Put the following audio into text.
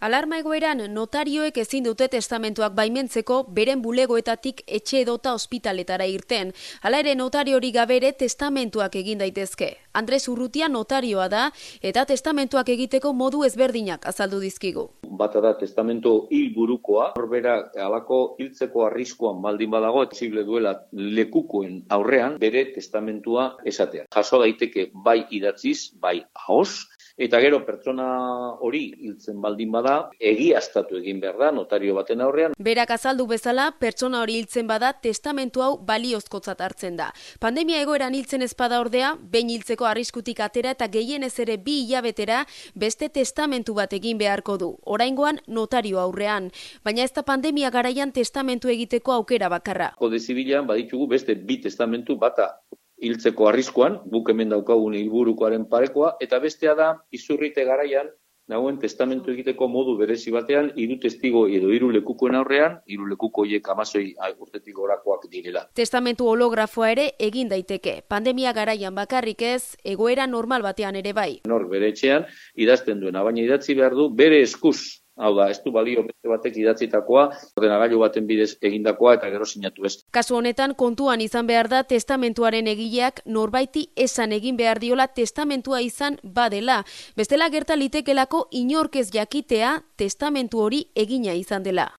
Alarma egoeran notarioek ezin dute testamentuak baimentzeko beren bulegoetatik etxe edota ospitaletara irten. Hala ere notariori gabe ere testamentuak egin daitezke. Andres Urrutia notarioa da eta testamentuak egiteko modu ezberdinak azaldu dizkigu. Bata da testamentu hilburukoa, horbera halako hiltzeko arriskuan baldin badago, posible duela lekukoen aurrean bere testamentua esatea. Jaso daiteke bai idatziz, bai ahoz, eta gero pertsona hori hiltzen baldin bada, egiaztatu egin behar da notario baten aurrean. Berak azaldu bezala, pertsona hori hiltzen bada testamentu hau baliozkotzat hartzen da. Pandemia egoeran hiltzen ez bada ordea, behin hiltzeko arriskutik atera eta gehienez ere 2 hilabetera beste testamentu bat egin beharko du. Oraingoan notario aurrean, baina ez da pandemia garaian testamentu egiteko aukera bakarra. Kode zibilean baditugu beste 2 testamentu, bata hiltzeko arriskuan, guk hemen daukagun hilburukoaren parekoa, eta bestea da izurrite garaian nagoen testamentu egiteko modu berezi batean 3 testigo edo 3 lekukoen aurrean, 3 lekuko horiek 16 urtetik gorakoak direla. Testamentu holografoa ere egin daiteke. Pandemia garaian bakarrik ez, egoera normal batean ere bai. Nor bere etxean idazten duena, baina idatzi behar du bere eskuz. Hau da, ez du balio beste batek idatzitakoa, ordenagailu baten bidez egindakoa eta gero sinatu ez. Kasu honetan kontuan izan behar da testamentuaren egileak norbaiti esan egin behar diola testamentua izan badela. Bestela gerta litekelako inork ez jakitea testamentu hori egina izan dela.